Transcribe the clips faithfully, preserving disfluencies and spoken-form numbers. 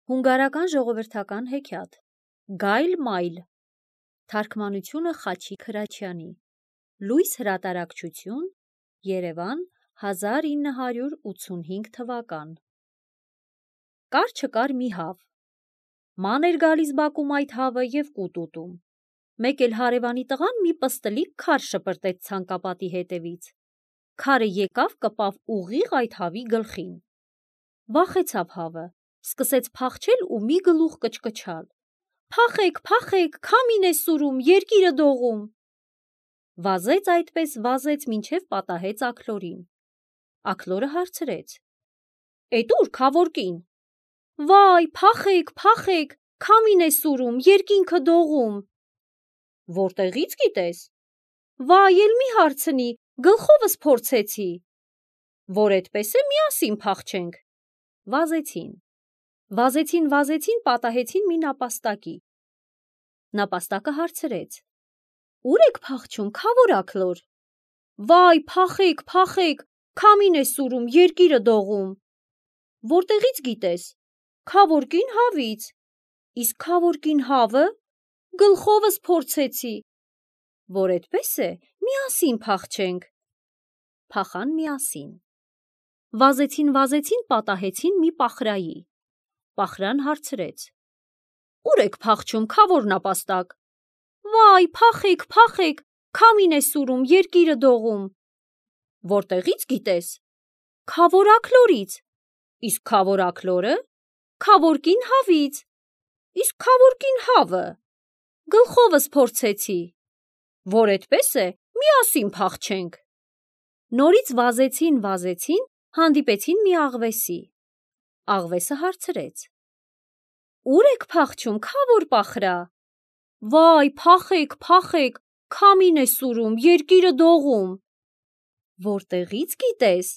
Հունգարական ժողովրդական հեքիաթ Գայլ մայլ Թարգմանությունը Խաչիկ Հրաչյանի Լույս հրատարակչություն Երևան հազար ինը հարյուր ութսունհինգ թվական Կար չկար մի հավ Ման էր գալիս բակում այդ հավը և կուտ ուտում Մեկ էլ հարևանի տղան մի պստլիկ քար շպրտեց ցանկապատի հետևից Քարը եկավ կպավ ուղիղ այդ հավի գլխին Վախեցավ հավը Սկսեց փախչել ու մի գլուխ կչկչալ Փախեք, փախեք, քամին է սուրում, երկիրը դողում Վազեց այդպես, վազեց, մինչև պատահեց աքլորին Աքլորը հարցրեց Էդ ուր քավոր կին Վայ, փախեք, փախեք, քամին է սուրում, երկինքը դողում Որտեղից գիտես Վայ, էլ մի հարցնի, գլխովս փորձեցի Որ էդպես է, միասին փախչենք Վազեցին Վազեցին, վազեցին, պատահեցին մի նապաստակի Նապաստակը հարցրեց Ուր եք փախչում, քավոր աքլոր Վայ, փախեք, փախեք, քամին է սուրում, երկիրը դողում Որտեղից գիտես Քավոր կին հավից Իսկ քավոր կին հավը Գլխովս փորձեցի Որ էդպես է, միասին փախչենք Փախան միասին Վազեցին, վազեցին, պատահեցին մի պախրայի Պախրան հարցրեց Ուր եք փախչում, քավոր նապաստակ Վայ, փախեք, փախեք, քամին է սուրում, երկիրը դողում Որտեղից գիտես Քավոր աքլորից Իսկ քավոր աքլորը Քավոր կին հավից Իսկ քավոր կին հավը Գլխովս փորձեցի Որ էդպես է, միասին փախչենք Նորից վազեցին, վազեցին, հանդիպեցին մի աղվեսի Աղվեսը հարցրեց Ուր եք փախչում, քավոր պախրա Վայ, փախեք, փախեք, քամին է սուրում, երկիրը դողում Որտեղից գիտես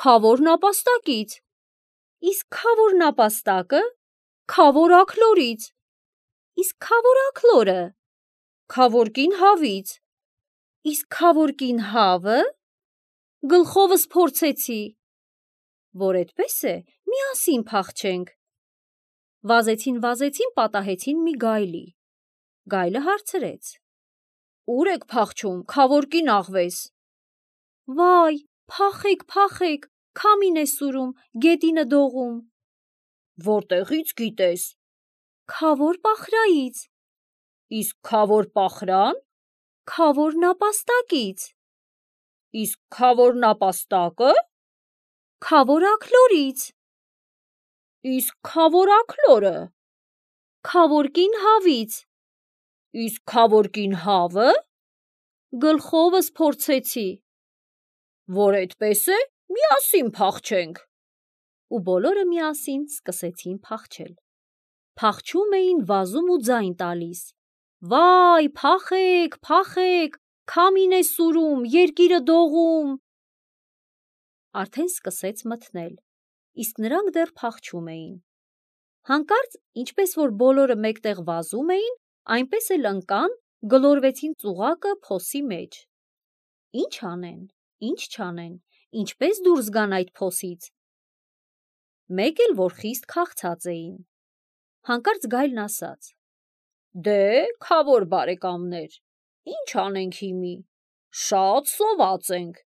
Քավոր նապաստակից Իսկ քավոր նապաստակը Քավոր աքլորից Իսկ քավոր աքլորը Քավոր կին հավից Իսկ քավոր կին հավը Գլխովս փորձեցի Որ էդպես է, միասին փախչենք Վազեցին, վազեցին, պատահեցին մի գայլի Գայլը հարցրեց Ուր եք փախչում, քավոր կին աղվես Վայ, փախեք, փախեք, քամին է սուրում, գետինը դողում Որտեղից գիտես Քավոր պախրայից Իսկ քավոր պախրան Քավոր նապաստակից Իսկ քավոր նապաստակը Քավոր աքլորից Իսկ քավոր աքլորը Քավոր կին հավից Իսկ քավոր կին հավը Գլխովս փորձեցի Որ էդպես է, միասին փախչենք Ու բոլորը միասին սկսեցին փախչել Փախչում էին, վազում ու ձայն տալիս Վայ, փախեք, փախեք, քամին է սուրում, երկիրը դողում Արդեն սկսեց մթնել, իսկ նրանք դեռ փախչում էին Հանկարծ, ինչպես որ բոլորը մեկտեղ վազում էին, այնպես էլ ընկան, գլորվեցին ծուղակը փոսի մեջ Ինչ անեն, ինչ չանեն, ինչպես դուրս գան այդ փոսից Մեկ էլ որ խիստ քաղցած էին Հանկարծ գայլն ասաց Դե, քավոր բարեկամներ, ինչ անենք հիմի, շատ սոված ենք,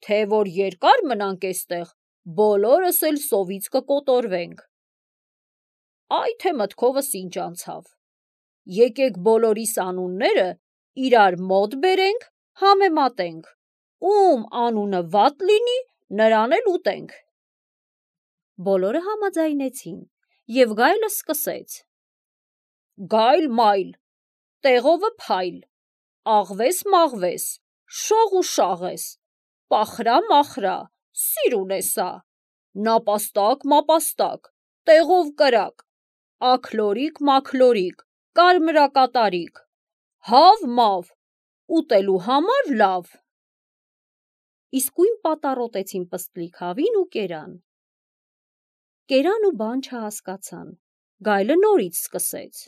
թե որ երկար մնանք էստեղ, բոլորս էլ սովից կկոտորվենք Այ թե մտքովս ինչ անցավ, եկեք բոլորիս անունները իրար մոտ բերենք, համեմատենք, ում անունը վատ լինի, նրան էլ ուտենք Բոլորը համաձայնեցին և գայլը սկսեց Գայլ մայլ, տեղովը փայլ, աղվես մաղվես, շող ու շաղես, պախրա մախրա, սիրուն է սա, նապաստակ մապաստակ, տեղով կրակ, աքլորիկ մաքլորիկ, կարմրակատարիկ, հավ մավ, ուտելու համար լավ Իսկույն պատառոտեցին պստլիկ հավին ու կերան Կերան ու բան չհասկացան, գայլը նորից սկսեց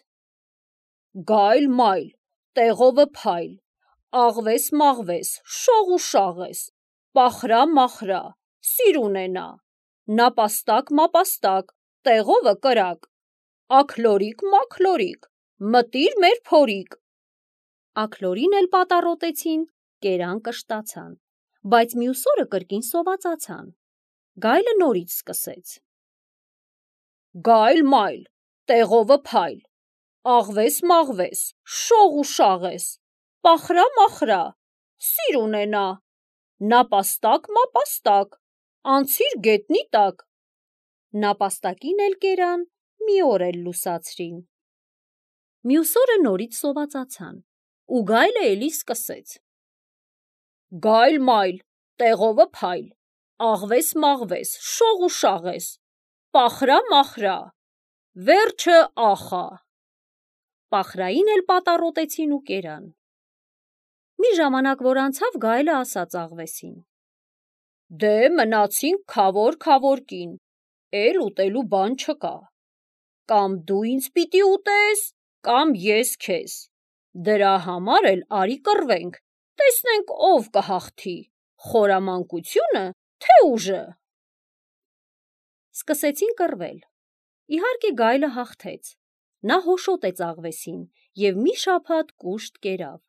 Գայլ մայլ, տեղովը փայլ, աղվես մաղվես, շող ու շաղես, պախրա մախրա, սիրուն է նա, նապաստակ մապաստակ, տեղովը կրակ, աքլորիկ մաքլորիկ, մտիր մեր փորիկ։ Աքլորին էլ պատառոտեցին, կերան կշտացան, բայց մյուս օրը կրկին սովածացան։ Գայլը նորից սկսեց. Գայլ մայլ, տեղովը փայլ, աղվես մաղվես, շող ու շաղես, պախրա մախրա, սիր ունենա, նապաստակ մապաստակ, անցիր գետնի տակ։ Նապաստակին էլ կերան, մի օր էլ լուսացրին։ Մյուս օրը նորից սովածացան, ու գայլը էլի սկսեց. Գայլ մայլ, տեղովը փայլ, աղվես մաղվես, շող ու շաղես, պախրա մախրա, վերջը ախա։ Պախրային էլ պատառոտեցին ու կերան։ Մի ժամանակ որ անցավ, գայլը ասաց աղվեսին. Դե մնացինք քավոր քավոր կին, էլ ուտելու բան չկա, կամ դու ինձ պիտի ուտես, կամ ես քեզ, դրա համար էլ արի կռվենք, տեսնենք ով կհաղթի, խորամանկությունը, թե ուժը։ Սկսեցին կռվել։ Իհարկե գայլը հաղթեց, նա հոշոտեց աղվեսին և մի շաբաթ կուշտ կերավ։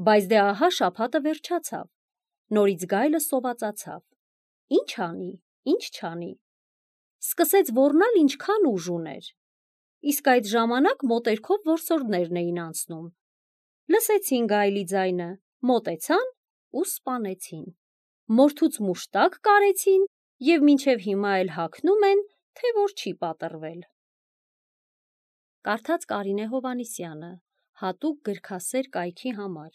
Բայց դե ահա շաբաթը վերջացավ, նորից գայլը սովածացավ, ինչ անի, ինչ չանի, սկսեց ոռնալ ինչքան ուժ ուներ, իսկ այդ ժամանակ մոտերքով որսորդներն էին անցնում, լսեցին գայլի ձայնը, մոտեցան ու սպանեցին, մորթուց մուշտակ կարեցին և մինչև հիմա էլ հագնում են, թե որ չի պատռվել։ Կարդաց Կարինե Հովհաննիսյանը, հատուկ գրքասեր կայքի համար։